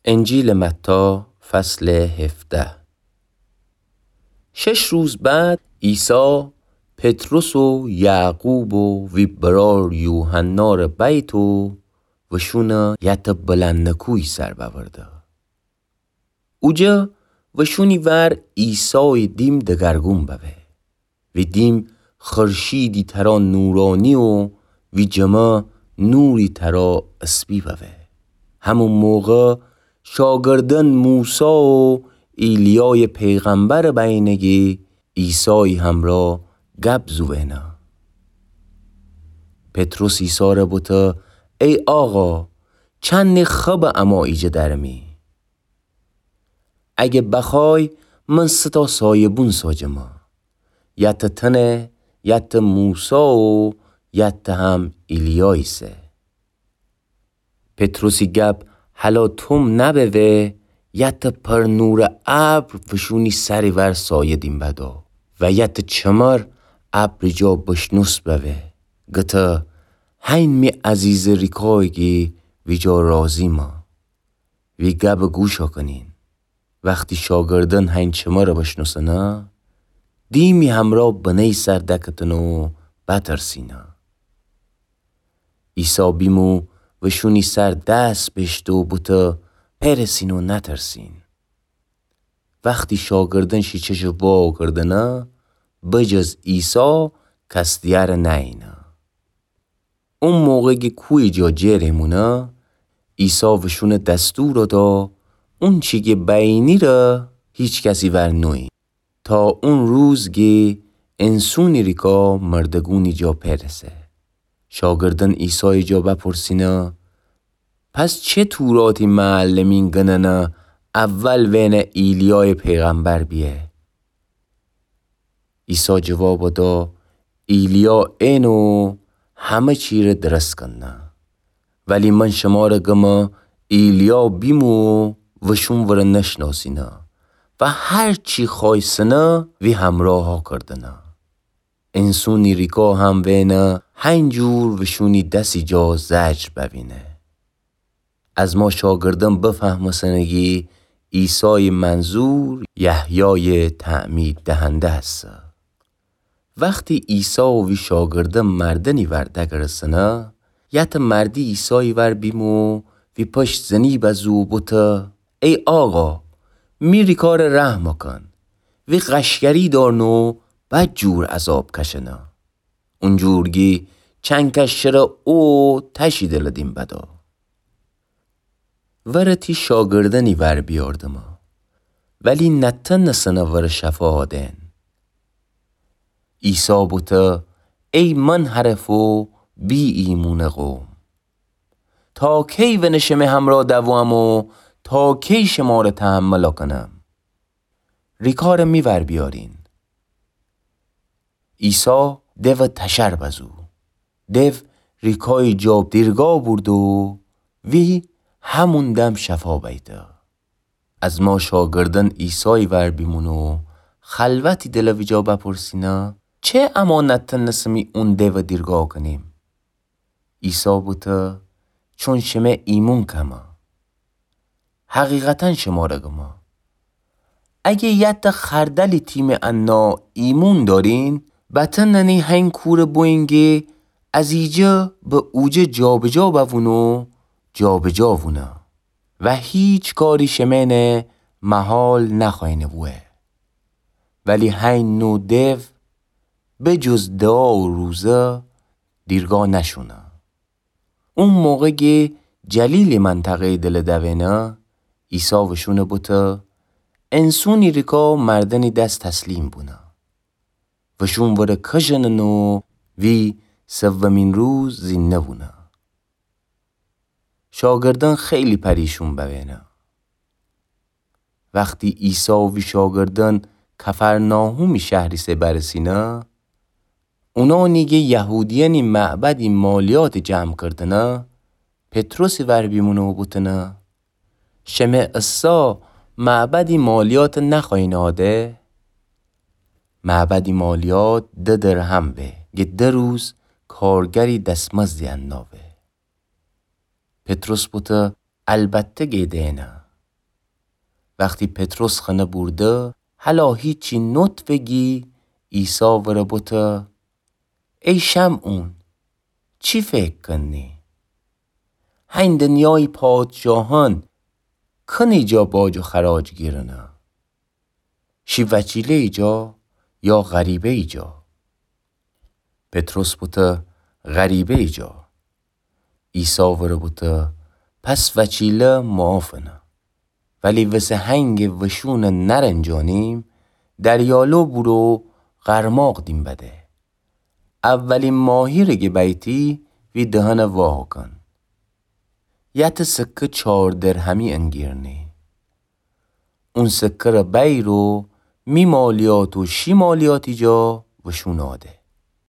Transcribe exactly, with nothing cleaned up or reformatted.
انجیلٚ متی، فصلٚ هفده. شش روز بعد عیسی پطرس و یعقوب و وی برار یوحنارٚ بیت و وشونَ یتٚ بلندٚ کوهی سر بأورده. اوجا وشونی ور عیسایٚ دیم دگرگون ببه. وی دیم خورشیدی ترا نورانی و وی جمه نوری ترا اسبی ببه. همون موقع شاگردأن موسی و ایلیایٚ پیغمبرٚ بینه گی عیسایٚ همرأ گب زوئنه. پطرس عیسی‌ره بوته: ای آقا، چندی خبه اما ایجه درمی. اگه بخوای، من سه تا سایه‌بون ساجمه. یتٚ تنه، یتٚ موسی و یتٚ هم ایلیا ایسه. پطرسی گب هلا توم نبوه، یتٚ پر نورٚ ابر وشونی سری ور سایه دیم بدو و یتٚ چمر ابری جا بشنوس بوه. گته: هین می عزیزٚ ریکای گی ویجا رازیمه. وی گبٚ گوشا کنین. وختی شاگردأن هین چمره بشنوسنه، دیمی همرأ بنه‌یی سر دکتنه و بترسینه. عیسی بیمو وشونی سر دس بشته و بوته: پرسین و نترسین. وختی شاگردأن شی چشٚ وا کردنه، بجز عیسی کس دیگره نأیینه. اون موقع گی کوهی جا جر ایمونه، عیسی وشونه دستور دا اونچی گی بینیره هیچ کسی ور نویین، تا اون روز گی انسونی ریکا مردگونی جا پرسه. شاگردأن عیسایٚ جا بپرسینه: پس چه توراتی معلمین گننه اول وئنه ایلیایٚ پیغمبر بیه؟ عیسی جواب دا: ایلیا اینه و همه چیره درس کنه. ولی من شماره گمه ایلیا بیمو وشون وره نشناسینه و هر چی خوایسنه وی همراها کردنه. انسونی ریکا هم وئنه هین جور وشونی دسی جا زجر بوینه. از ما شاگردأن بفهمسنه گی عیسایٚ منظور یحیایٚ تعمید دهنده هسه. وختی عیسی و وی شاگردأن مردنی ور دگرسنه، یتٚ مردی عیسایٚ ور بیمو وی پشت زنی بزو و بوته: ای آقا، می ریکاره رحم کن. وی قشگری دارنه و بدجور عذاب کشنه. اونجور گی چنکش شره او تشی دلٚ دیم بدا. وره تی شاگردأنی ور بیاردمه، ولی نتنسنه وره شفا دئن. عیسی بوته: ای منحرف و بی ایمونٚ قوم، تا کی وأنه شمه همرا دوام و تا کی شماره تحمل کنم؟ ریکاره می ور بیارین. عیسی دو تشر بزو. دو ریکایٚ جا دیرگا بورد و وی همون دم شفا بیته. از ما شاگردأن عیسایٚ ور بیمونه و خلوتی دلٚ ویجا بپرسینه: چه اما نتنسمی اون دو دیرگا کنیم؟ عیسی بوته: چون شمه ایمون کمه. حقیقتاً شماره گمه، اگه یتٚ خردلی تیمٚ انا ایمون دارین، بتننی هین کورٚ بوینگی از ایجه به اوجه جابجا بوونه و جابجا وونه و هیچ کاری شمئن محال نخوأینه بوه. ولی هین نو دو بجز دعا و روزه دیرگا نشونه. او موقع گی جلیلٚ منطقه‌یٚ دلٚ دوئنه، عیسی وشونه بوته: انسونی ریکا مردنی دس تسلیم بونه. وشون وره کشنن و وی سومین روز زینده بونه. شاگردأن خیلی پریشون بوینه. وختی عیسی و وی شاگردأن کفرناحومی شهریسه برسینه، اونانی گی یهودیأنی معبدی مالیات جمع کردنه، پطرسی ور بیمونه و بوتنه: شمه اسا معبدی مالیات نخوأیین آده؟ معبدی مالیات ده درهم به، گه ده روز کارگری دسمزدی انا به. پطرس بوته: البته گه دئنه. وختی پطرس خنه بورده، هلا هیچی نوتفه گی، عیسی وره بوته: ای شمعون، چی فکر کنی؟ هین دنیایی پادشاهان کنی جا باج و خراج گیرنه؟ شی وکیله‌یی جا یا غریبه‌یی جا؟ پطرس بوته: غریبه‌یی جا. عیسی وره بوته: پس وکیله معافنه. ولی وسه هنگ وشونه نرنجانیم، دریالو بورو غرماق دیم بده. اولی ماهیره گه بیتی وی دهنه واهو کن. یته سکه چار درهمی انگیرنی. اون سکه ره بیر و می مالیات و شی مالیاتی جا وشونه آده.